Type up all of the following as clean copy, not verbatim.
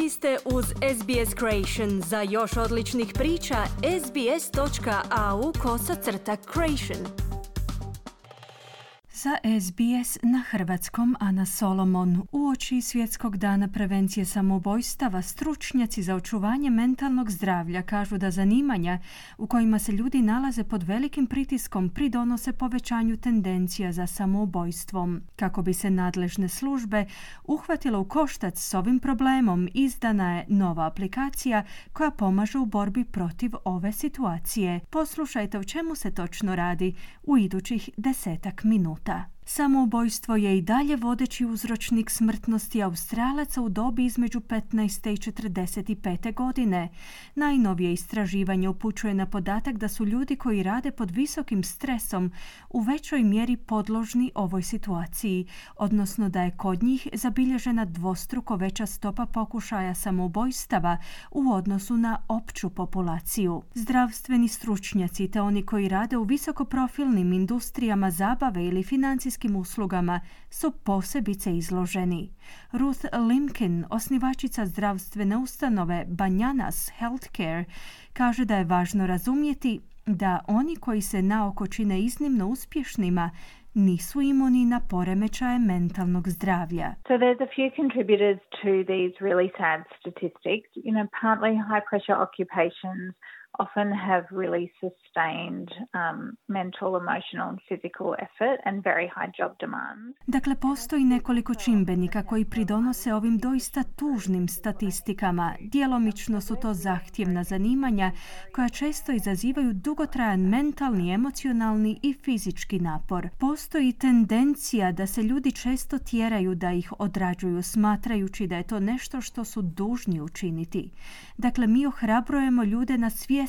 Vi ste uz SBS Creation. Za još odličnih priča, sbs.au/creation. Za SBS na hrvatskom Ana Solomon. Uoči Svjetskog dana prevencije samoubojstava, stručnjaci za očuvanje mentalnog zdravlja kažu da zanimanja u kojima se ljudi nalaze pod velikim pritiskom pridonose povećanju tendencija za samoubojstvom. Kako bi se nadležne službe uhvatile u koštac s ovim problemom, izdana je nova aplikacija koja pomaže u borbi protiv ove situacije. Poslušajte o čemu se točno radi u idućih 10 minuta. Samoubojstvo je i dalje vodeći uzročnik smrtnosti Australaca u dobi između 15. i 45. godine. Najnovije istraživanje upućuje na podatak da su ljudi koji rade pod visokim stresom u većoj mjeri podložni ovoj situaciji, odnosno da je kod njih zabilježena dvostruko veća stopa pokušaja samoubojstava u odnosu na opću populaciju. Zdravstveni stručnjaci te oni koji rade u visokoprofilnim industrijama zabave ili financijskim uslugama su posebice izloženi. Ruth Limkin, osnivačica zdravstvene ustanove Bananas Healthcare, kaže da je važno razumjeti da oni koji se naoko čine iznimno uspješnima nisu imuni na poremećaje mentalnog zdravlja. So there's a few contributors to these really sad statistics. Partly high pressure occupations often have really sustained mental, emotional and physical effort and very high job demands. Dakle, postoji nekoliko čimbenika koji pridonose ovim doista tužnim statistikama. Djelomično su to zahtjevna zanimanja koja često izazivaju dugotrajan mentalni, emocionalni i fizički napor. Postoji tendencija da se ljudi često tjeraju da ih odrađuju, smatrajući da je to nešto što su dužni učiniti. Dakle, mi ohrabrujemo ljude na svjesnost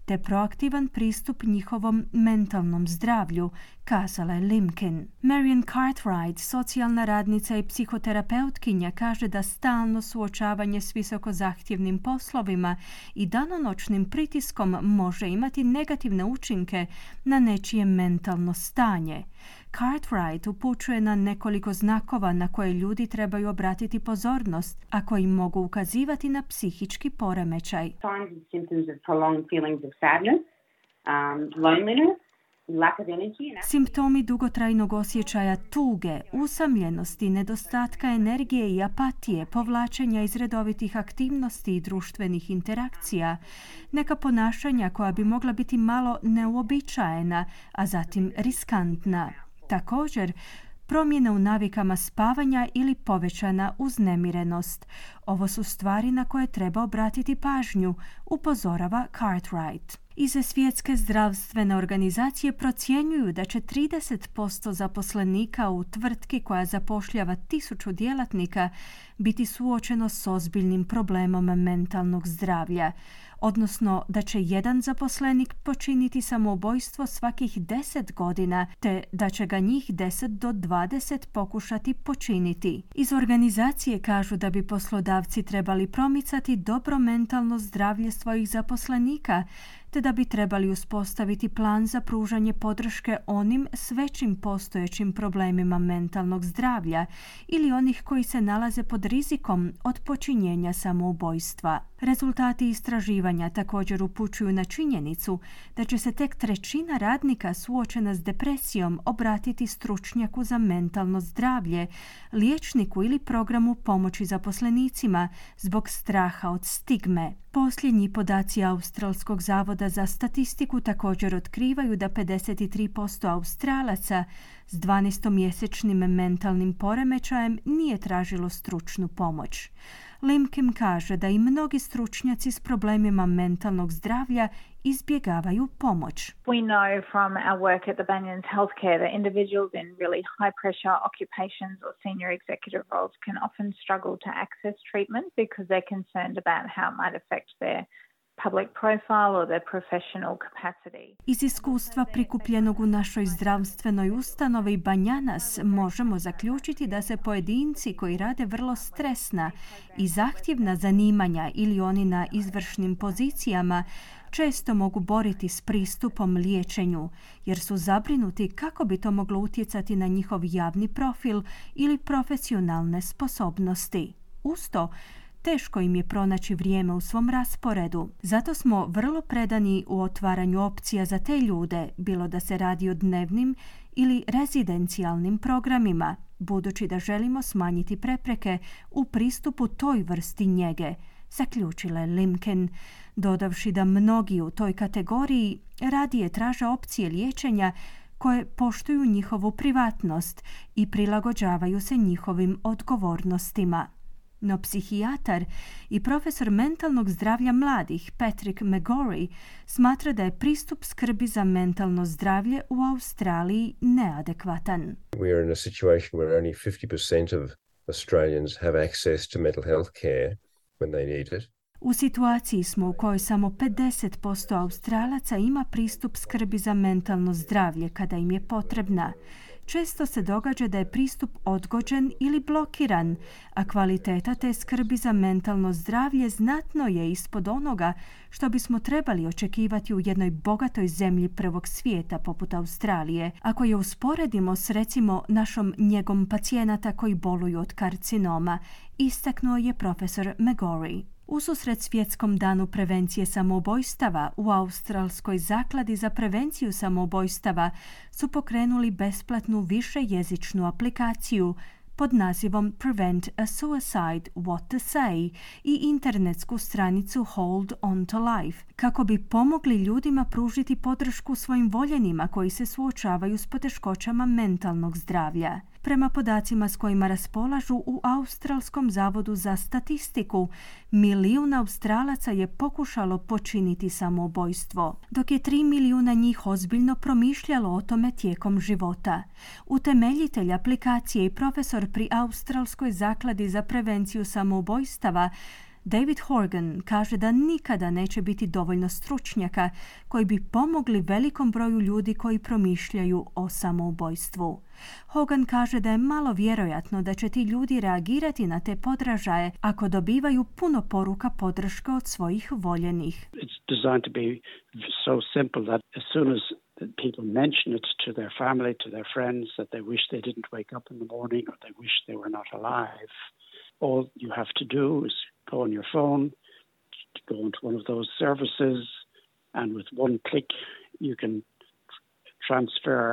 te proaktivan pristup njihovom mentalnom zdravlju, kazala je Limkin. Marian Cartwright, socijalna radnica i psihoterapeutkinja, kaže da stalno suočavanje s visoko zahtjevnim poslovima i danonoćnim pritiskom može imati negativne učinke na nečije mentalno stanje. Cartwright upućuje na nekoliko znakova na koje ljudi trebaju obratiti pozornost, a koji mogu ukazivati na psihički poremećaj. Signs and symptoms of prolonged feelings of sadness, loneliness, lack of energy. Simptomi dugotrajnog osjećaja tuge, usamljenosti, nedostatka energije i apatije, povlačenja iz redovitih aktivnosti i društvenih interakcija, neka ponašanja koja bi mogla biti malo neuobičajena, a zatim riskantna. Također, promjene u navikama spavanja ili povećana uznemirenost. Ovo su stvari na koje treba obratiti pažnju, upozorava Cartwright. Iz Svjetske zdravstvene organizacije procjenjuju da će 30% zaposlenika u tvrtki koja zapošljava 1000 djelatnika biti suočeno s ozbiljnim problemom mentalnog zdravlja, odnosno da će jedan zaposlenik počiniti samoubojstvo svakih 10 godina, te da će ga njih 10 do 20 pokušati počiniti. Iz organizacije kažu da bi poslodavci trebali promicati dobro mentalno zdravlje svojih zaposlenika, te da bi trebali uspostaviti plan za pružanje podrške onim s većim postojećim problemima mentalnog zdravlja ili onih koji se nalaze pod rizikom od počinjenja samoubojstva. Rezultati istraživanja također upućuju na činjenicu da će se tek 1/3 radnika suočena s depresijom obratiti stručnjaku za mentalno zdravlje, liječniku ili programu pomoći zaposlenicima zbog straha od stigme. Posljednji podaci Australskog zavoda za statistiku također otkrivaju da 53% Australaca s 12-mjesečnim mentalnim poremećajem nije tražilo stručnu pomoć. Limkin kaže da i mnogi stručnjaci s problemima mentalnog zdravlja izbjegavaju pomoć. We know from our work at the Bananas Healthcare that individuals in really high pressure occupations or senior executive roles can often struggle to access treatment because they're concerned about how it might affect their public profile or their professional capacity. Iz iskustva prikupljenog u našoj zdravstvenoj ustanovi Bananas možemo zaključiti da se pojedinci koji rade vrlo stresna i zahtjevna zanimanja ili oni na izvršnim pozicijama često mogu boriti s pristupom liječenju, jer su zabrinuti kako bi to moglo utjecati na njihov javni profil ili profesionalne sposobnosti. Uz to, teško im je pronaći vrijeme u svom rasporedu. Zato smo vrlo predani u otvaranju opcija za te ljude, bilo da se radi o dnevnim ili rezidencijalnim programima, budući da želimo smanjiti prepreke u pristupu toj vrsti njege, zaključila je Limkin, dodavši da mnogi u toj kategoriji radije traže opcije liječenja koje poštuju njihovu privatnost i prilagođavaju se njihovim odgovornostima. No psihijatar i profesor mentalnog zdravlja mladih Patrick McGorry smatra da je pristup skrbi za mentalno zdravlje u Australiji neadekvatan. We are in a situation where only 50% of Australians have access to mental health care when they need it. U situaciji smo u kojoj samo 50% Australaca ima pristup skrbi za mentalno zdravlje kada im je potrebna. Često se događa da je pristup odgođen ili blokiran, a kvaliteta te skrbi za mentalno zdravlje znatno je ispod onoga što bismo trebali očekivati u jednoj bogatoj zemlji prvog svijeta poput Australije, ako je usporedimo s recimo našom njegom pacijenata koji boluju od karcinoma, istaknuo je profesor McGorry. Ususret Svjetskom danu prevencije samoubojstava u Australskoj zakladi za prevenciju samoubojstava su pokrenuli besplatnu višejezičnu aplikaciju pod nazivom Prevent a Suicide, What to Say i internetsku stranicu Hold on to Life, kako bi pomogli ljudima pružiti podršku svojim voljenima koji se suočavaju s poteškoćama mentalnog zdravlja. Prema podacima s kojima raspolažu u Australskom zavodu za statistiku, 1 milijun Australaca je pokušalo počiniti samoubojstvo, dok je 3 milijuna njih ozbiljno promišljalo o tome tijekom života. Utemeljitelj aplikacije i profesor pri Australskoj zakladi za prevenciju samoubojstava David Horgan kaže da nikada neće biti dovoljno stručnjaka koji bi pomogli velikom broju ljudi koji promišljaju o samoubojstvu. Hogan kaže da je malo vjerojatno da će ti ljudi reagirati na te podražaje ako dobivaju puno poruka podrške od svojih voljenih. It's designed to be so simple that as soon as people mention it to their family, to their friends, that they wish they didn't wake up in the morning or they wish they were not alive, all you have to do is go on your phone, go into one of those services, and with one click you can transfer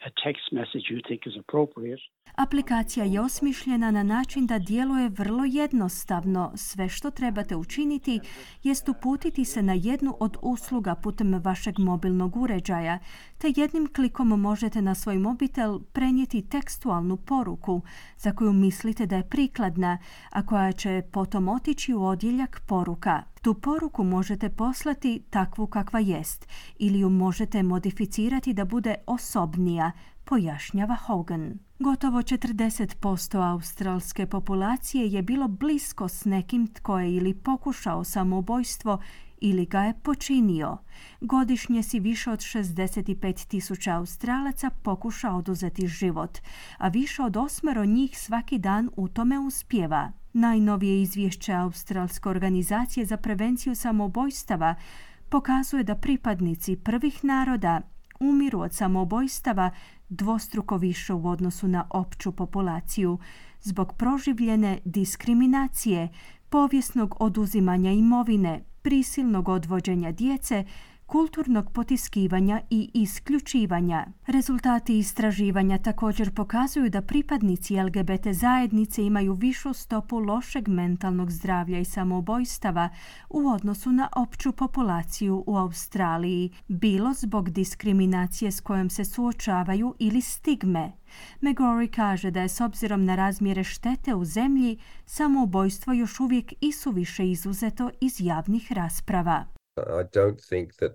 a text message you think is appropriate. Aplikacija je osmišljena na način da djeluje vrlo jednostavno. Sve što trebate učiniti jest uputiti se na jednu od usluga putem vašeg mobilnog uređaja, te jednim klikom možete na svoj mobitel prenijeti tekstualnu poruku za koju mislite da je prikladna, a koja će potom otići u odjeljak poruka. Tu poruku možete poslati takvu kakva jest ili ju možete modificirati da bude osobnija, pojašnjava Hogan. Gotovo 40% australske populacije je bilo blisko s nekim tko je ili pokušao samoubojstvo ili ga je počinio. Godišnje si više od 65.000 Australaca pokuša oduzeti život, a više od 8 njih svaki dan u tome uspijeva. Najnovije izvješće Australske organizacije za prevenciju samoubojstava pokazuje da pripadnici prvih naroda umiru od samoubojstava dvostruko više u odnosu na opću populaciju zbog proživljene diskriminacije, povijesnog oduzimanja imovine, prisilnog odvođenja djece, kulturnog potiskivanja i isključivanja. Rezultati istraživanja također pokazuju da pripadnici LGBT zajednice imaju višu stopu lošeg mentalnog zdravlja i samoubojstava u odnosu na opću populaciju u Australiji, bilo zbog diskriminacije s kojom se suočavaju ili stigme. McGorry kaže da je s obzirom na razmjere štete u zemlji samoubojstvo još uvijek isuviše izuzeto iz javnih rasprava. I don't think that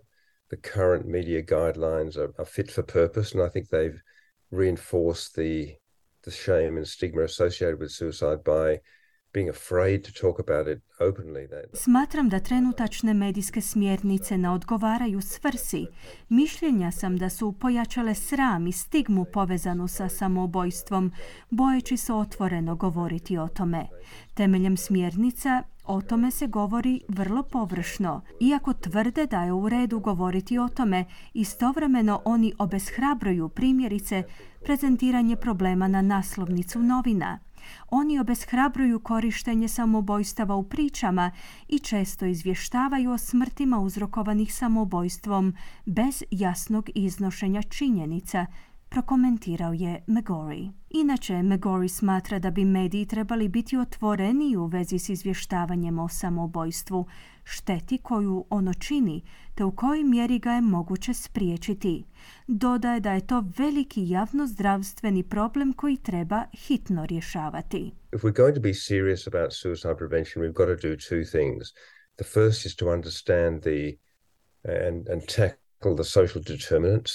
the current media guidelines are fit for purpose, and I think they've reinforced the shame and stigma associated with suicide by being afraid to talk about it openly. Smatram da trenutačne medijske smjernice ne odgovaraju svrsi. Mišljenja sam da su pojačale sram i stigmu povezanu sa samoubojstvom, bojeći se otvoreno govoriti o tome. Temeljem smjernica o tome se govori vrlo površno. Iako tvrde da je u redu govoriti o tome, istovremeno oni obeshrabruju primjerice prezentiranje problema na naslovnicu novina. Oni obeshrabruju korištenje samoubojstava u pričama i često izvještavaju o smrtima uzrokovanih samoubojstvom bez jasnog iznošenja činjenica, prokomentirao je McGorry. Inače, McGorry smatra da bi mediji trebali biti otvoreniji u vezi s izvještavanjem o samoubojstvu, šteti koju ono čini, te u kojoj mjeri ga je moguće spriječiti. Dodaje da je to veliki javnozdravstveni problem koji treba hitno rješavati. If we're going to be serious about suicide prevention, we've got to do two things. The first is to understand and tackle the social determinants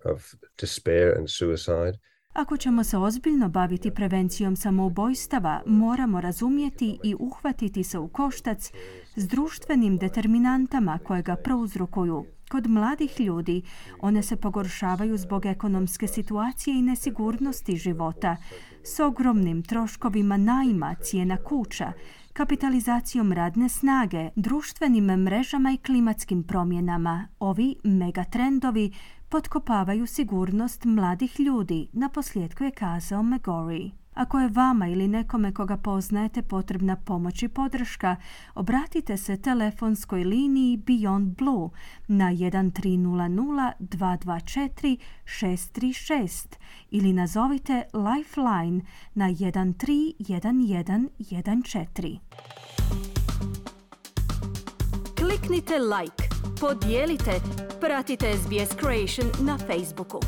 of despair and suicide. Ako ćemo se ozbiljno baviti prevencijom samoubojstava, moramo razumjeti i uhvatiti se u koštac s društvenim determinantama koje ga prouzrokuju. Kod mladih ljudi one se pogoršavaju zbog ekonomske situacije i nesigurnosti života, s ogromnim troškovima najma, cijena kuća, kapitalizacijom radne snage, društvenim mrežama i klimatskim promjenama. Ovi megatrendovi potkopavaju sigurnost mladih ljudi, naposljetku je kazao McGorry. Ako je vama ili nekome koga poznajete potrebna pomoć i podrška, obratite se telefonskoj liniji Beyond Blue na 1300 224 636 ili nazovite Lifeline na 131114. Kliknite like, podijelite, pratite SBS Creation na Facebooku.